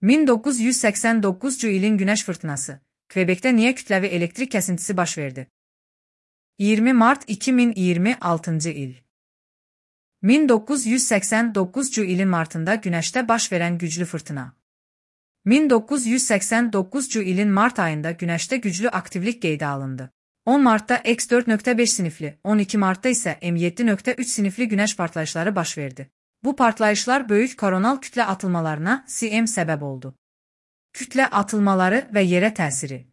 1989-cu ilin günəş fırtınası. Kvebekdə niyə kütləvi elektrik kəsintisi baş verdi? 20 mart 2026-cı il. 1989-cu ilin martında günəşdə baş verən güclü fırtına. 1989-cu ilin mart ayında günəşdə güclü aktivlik qeydə alındı. 10 martda X4.5 sinifli, 12 martda isə M7.3 sinifli günəş partlayışları baş verdi. Bu partlayışlar böyük koronal kütlə atılmalarına (CM) səbəb oldu. Kütlə atılmaları və yerə təsiri.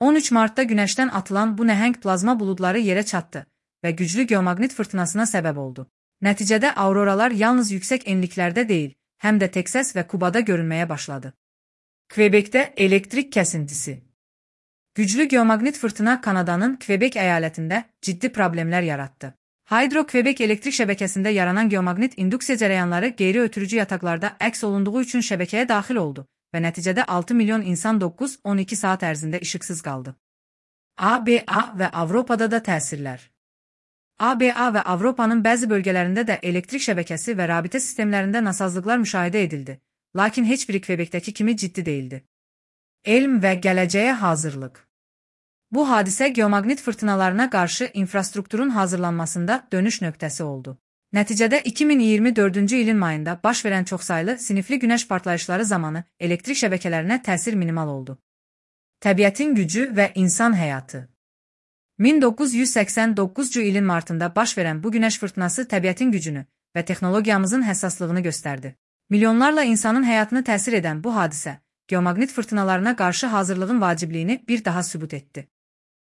13 martda günəşdən atılan bu nəhəng plazma buludları yerə çatdı və güclü geomaqnit fırtınasına səbəb oldu. Nəticədə auroralar yalnız yüksək enliklərdə deyil, həm də Teksas və Kubada görünməyə başladı. Kvebekdə elektrik kəsintisi. Güclü geomaqnit fırtına Kanadanın Kvebek əyalətində ciddi problemlər yaratdı. Hydro-Kvebek elektrik şəbəkəsində yaranan geomaqnit induksiya cərəyanları qeyri-ötürücü yataqlarda əks olunduğu üçün şəbəkəyə daxil oldu və nəticədə 6 milyon insan 9-12 saat ərzində işıqsız qaldı. ABA və Avropada da təsirlər. ABA və Avropanın bəzi bölgələrində də elektrik şəbəkəsi və rabitə sistemlərində nasazlıqlar müşahidə edildi, lakin heç biri Kvebekdəki kimi ciddi değildi. Elm və gələcəyə hazırlıq. Bu hadisə geomaqnit fırtınalarına qarşı infrastrukturun hazırlanmasında dönüş nöqtəsi oldu. Nəticədə 2024-cü ilin mayında baş verən çoxsaylı sinifli günəş partlayışları zamanı elektrik şəbəkələrinə təsir minimal oldu. Təbiətin gücü və insan həyatı. 1989-cu ilin martında baş verən bu günəş fırtınası təbiətin gücünü və texnologiyamızın həssaslığını göstərdi. Milyonlarla insanın həyatını təsir edən bu hadisə, geomaqnit fırtınalarına qarşı hazırlığın vacibliyini bir daha sübut etdi.